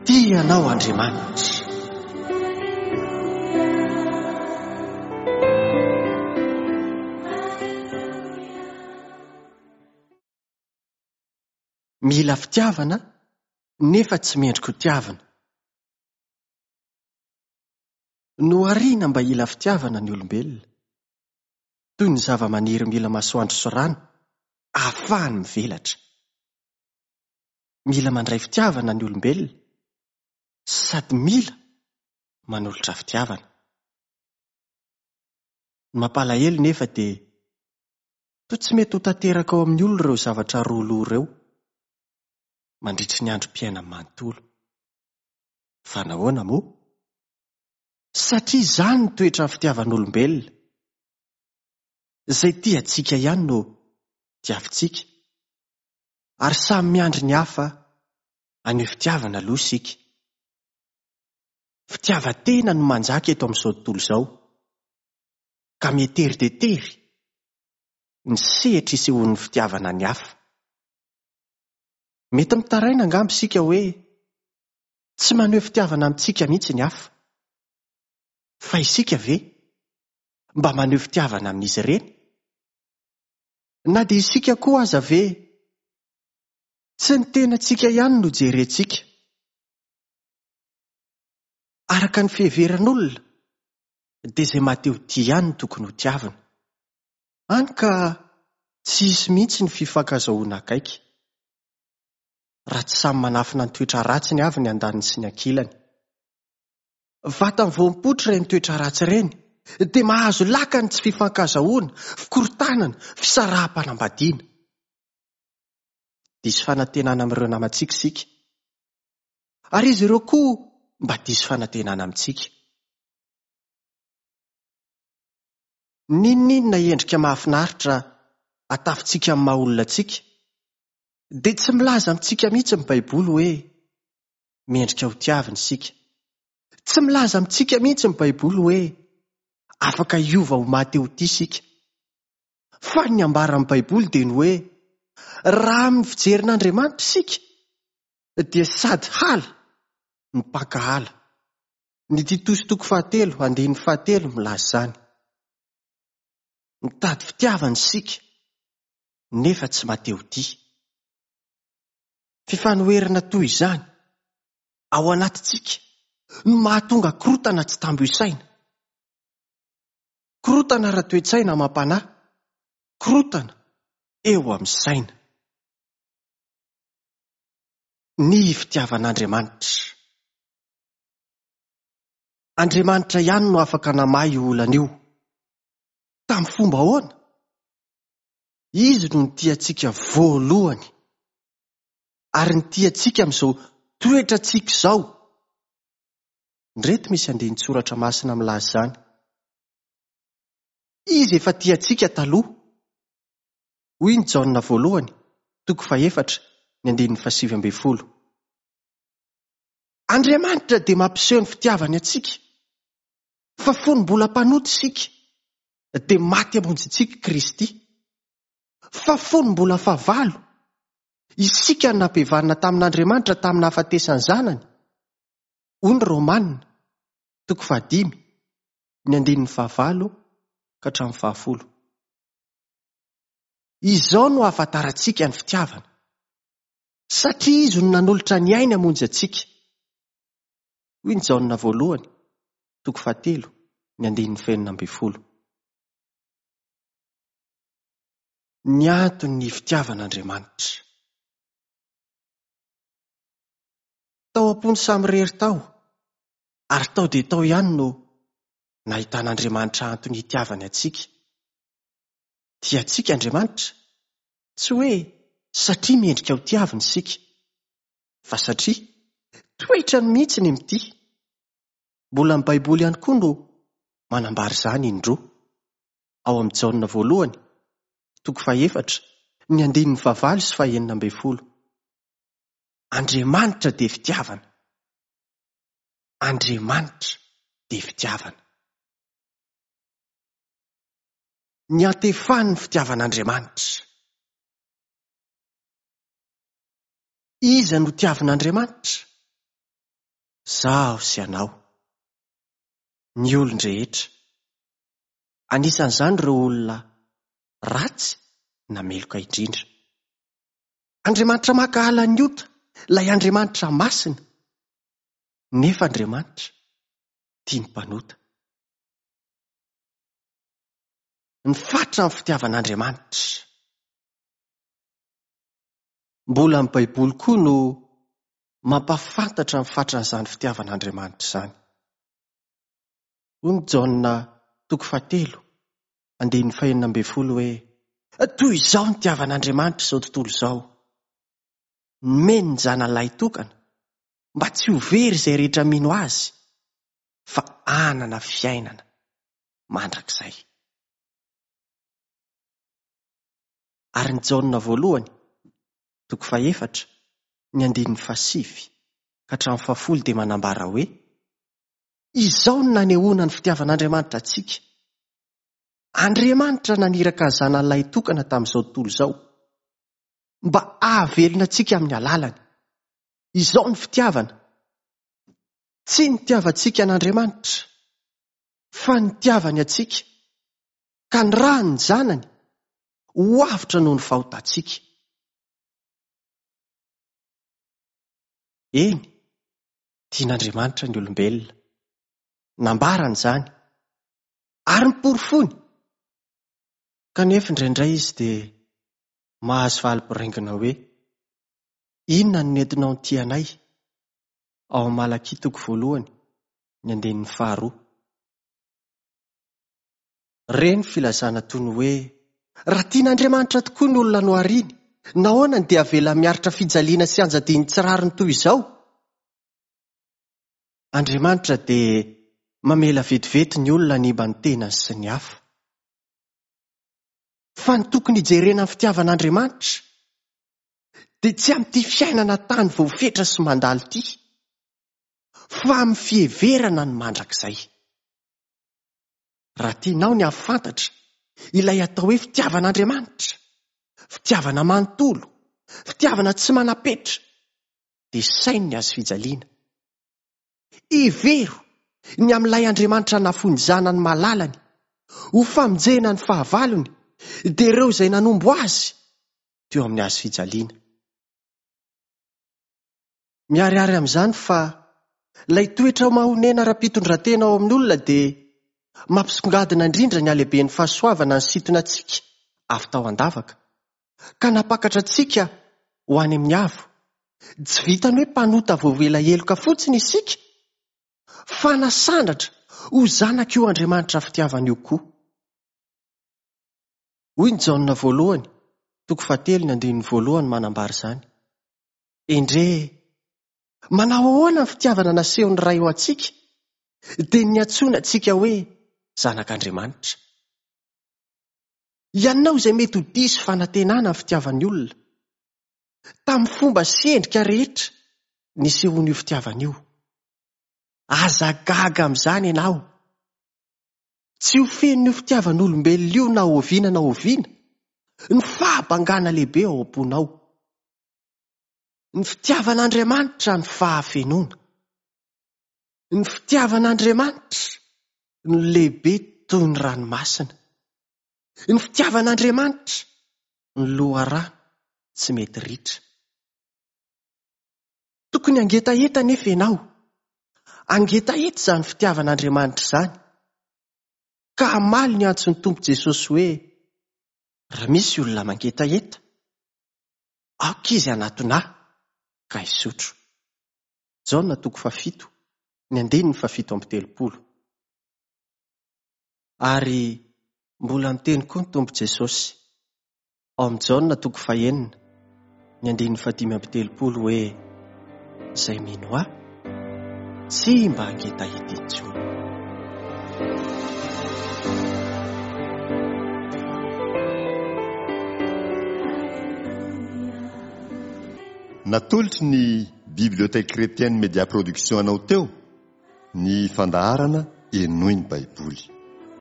Tia anao Andriamanitra. Mila fitiavana nefa tsy mendrika ho tiavina. Nohariana mba hila fitiavana ny olombelona. Toy ny zavamaniry mila masoandro sy rano ahafahany mivelatra. Mila mandray fitiavana ny olombelona sady mila manolotra fitiavana. Ny mampalahelo nefa dia toa tsy mety ho tanteraka ao amin'ny olona ireo zavatra roa loha ireo mandritry ny androm-piainany manontolo. Fa nahoana moa? Satria izany ny toetran'ny fitiavan'olombelona. Izay tia antsika ihany no tiavintsika. Ary samy miandry ny hafa haneho fitiavana aloha isika. Fitiavan-tena no manjaka eto amin'izao tontolo izao, ka miha-tery dia tery ny sehatra isehoan'ny fitiavana ny hafa. Mety mitaraina angamba isika hoe tsy maneho fitiavana amintsika mihitsy ny hafa. Fa isika ve mba maneho fitiavana amin'izy ireny? Na dia isika koa aza ve tsy ny tenantsika ihany no jerentsika? Araka ny fiheveran'olona dia izay maha-te-ho tia ihany no tokony hotiavina. Hany ka tsy hisy mihitsy ny fifankazahoana akaiky. Raha tsy samy manafina ny toetra ratsiny avy ny andaniny sy ny ankilany. Vatany vao mipoitra ireny toetra ratsy ireny dia mahazo laka ny tsy fifankazahoana, fikorontanana, fisaraham-panambadiana. Diso fanantenana amin'ireo namantsika isika. Ary izy ireo koa mba diso fanantenana amintsika. N'inon'inona endrika mahafinaritra atafintsika amin'ny maha-olona antsika, dia tsy milaza amintsika mihitsy ny Baiboly hoe mendrika hotiavina isika. Tsy milaza amintsika mihitsy ny Baiboly hoe afaka hiova ho maha te ho tia isika. Fa ny ambaran'ny Baiboly dia ny hoe raha amin'ny fijerin'Andriamanitra isika dia sady hala no mpankahala. Ny Titosy toko fahatelo andininy fahatelo milaza izany. Mitady fitiavana isika nefa tsy maha te ho tia. Fifanoherana toy izany ao anatintsika no mahatonga korontana tsy tambo isaina. Korontana ara-toe-tsaina amam-panahy, korontana eo amin'ny saina. Ny fitiavan'Andriamanitra. Andriamanitra ihany no afaka namaha io olana io. Tamin'ny fomba ahoana? Izy no nitia antsika voalohany ary nitia antsika amin'izao toetrantsika izao. Indreto misy andinin-tsoratra masina milaza izany. Izy efa tia antsika taloha. Hoy ny Jaona voalohany, toko fahefatra, ny andininy fahasivy ambin'ny folo. Andriamanitra dia mampiseho ny fitiavany antsika, fa fony mbola mpanota isika, dia maty hamonjy antsika Kristy. Fa fony mbola fahavalo, isika no nampihavanina tamin'Andriamanitra tamin'ny nahafatesan'ny Zanany, hoy ny Romana, toko fahadimy, ny andininy fahavalo ka hatramin'ny fahafolo. Izao no ahafantarantsika ny fitiavana, satria Izy no nanolotra ny ainy hamonjy antsika. Hoy ny Jaona voalohany, toko fahatelo, ny andininy fahenina ambin'ny folo. Ny anton'ny fitiavan'Andriamanitra. Tao am-pony samirery tao, ary tao dia tao ihany no nahitan'Andriamanitra antony hitiavany antsika. Tia antsika Andriamanitra, tsy hoe satria mendrika ho tiavina isika, fa satria toetrany mihitsy ny mitia. Mbola ny Baiboly ihany koa no manambara izany indroa. Ao amin'ny Jaona voalohany, toko fahefatra, ny andininy fahavalo sy fahenina ambin'ny folo. Andriamanitra dia fitiavana. Andriamanitra dia fitiavana. Niantefan'ny fitiavan'Andriamanitra. Iza no tiavin'Andriamanitra? Izaho sy ianao. Ny olon-drehetra. Anisan'izany ireo olona ratsy na meloka indrindra. Andriamanitra mankahala ny ota, ilay Andriamanitra masina. Nefa Andriamanitra tia ny mpanota. Ny fatra ny fitiavan'Andriamanitra. Mbola ny Baiboly koa no mampahafantatra ny fatran'izany fitiavan'Andriamanitra izany. Hoy ny Jaona toko fahatelo, andininy fahenina ambin'ny folo hoe, Toy izao ny nitiavan'Andriamanitra izao tontolo izao, nomeny ny Zanany tokana, mba tsy ho very izay rehetra mino Azy, fa hanana fiainana mandrakizay. Ary ny Jaona voalohany, toko fahefatra, ny andininy fahasivy ka hatramin'ny fahafolo dia manambara hoe, Izao no nanehoana ny fitiavan'Andriamanitra antsika. Andriamanitra naniraka ny Zanany lahitokana tamin'izao tontolo izao, mba hahavelona antsika amin'ny alalany. Izao ny fitiavana. Tsy nitiavantsika an'Andriamanitra, fa nitiavany antsika, ka nirahany ny Zanany ho avotra noho ny fahotantsika. Eny, tian'Andriamanitra ny olombelona. Nambarany izany, ary noporofoiny. Kanefa indraindray izy dia mahazo valy boraingina hoe, Inona no nentinao nitia anay? Ao amin'ny Malakia toko voalohany, ny andininy faharoa. Re ny filazana toy ny hoe, Raha tian'Andriamanitra tokoa ny olona nohariny, nahoana no dia avela miaritra fijaliana sy anjadian'ny tsy rariny toy izao? Andriamanitra dia mamela vetivety ny olona hanimba ny tenany sy ny hafa. Fa ny tokony hijerena ny fitiavan'Andriamanitra dia tsy amin'ity fiainana tany voafetra sy mandalo ity, fa amin'ny fiheverana ny mandrakizay. Raha tianao ny hahafantatra ilay atao hoe fitiavan'Andriamanitra, fitiavana manontolo, fitiavana tsy manam-petra, dia saino ny hazo fijaliana. Hevero ny amin'ilay Andriamanitra nafoy ny Zanany malalany ho famonjena ny fahavalony, dia ireo izay nanombo azy teo amin'ny hazo fijaliana. Miharihary amin'izany fa ilay toetra mahonena ara-pitondran-tena ao amin'ny olona dia mampisongadina indrindra ny halehiben'ny fahasoavana nisintona antsika avy tao an-davaka, ka nampakatra antsika ho any amin'ny avo. Tsy vitan'ny hoe mpanota voavela heloka fotsiny isika, fa nasandratra ho zanak'io Andriamanitra fitiavana io koa. Hoy ny Jaona voalohany, toko fahatelo ny andininy voalohany manambara izany. Endrey e! Manao ahoana ny fitiavana nasehon'ny Ray ho antsika, dia ny niantsoana antsika hoe zanak'Andriamanitra. Ianao izay mety ho diso fanantenana ny fitiavan'ny olona, tamin'ny fomba sy endrika rehetra nisehoan'io fitiavana io. Aza gaga amin'izany ianao. Tsy ho fenon'io fitiavan'olombelona io na oviana na oviana ny fahabangana lehibe ao am-ponao. Ny fitiavan'Andriamanitra ny fahafenoana. Ny fitiavan'Andriamanitra no lehibe toy ny ranomasina. Ny fitiavan'Andriamanitra no loharano tsy mety ritra. Tokony hangetaheta anefa ianao. Hangetaheta izany fitiavan'Andriamanitra izany, ka hamaly ny antson'ny Tompo Jesosy hoe, Raha misy olona mangetaheta, aoka izy hanatona ahy ka hisotro. Jaona toko fahafito, ny andininy fahafito amby telopolo. Ary mbola miteny koa ny Tompo Jesosy, ao amin'ny Jaona toko fahenina, ny andininy fahadimy amby telopolo hoe, Izay mino Ahy, tsy mba hangetaheta intsony. Natolotry ny Bibliothèque Chrétienne Média Production anao teo ny fandaharana Henoy ny Baiboly.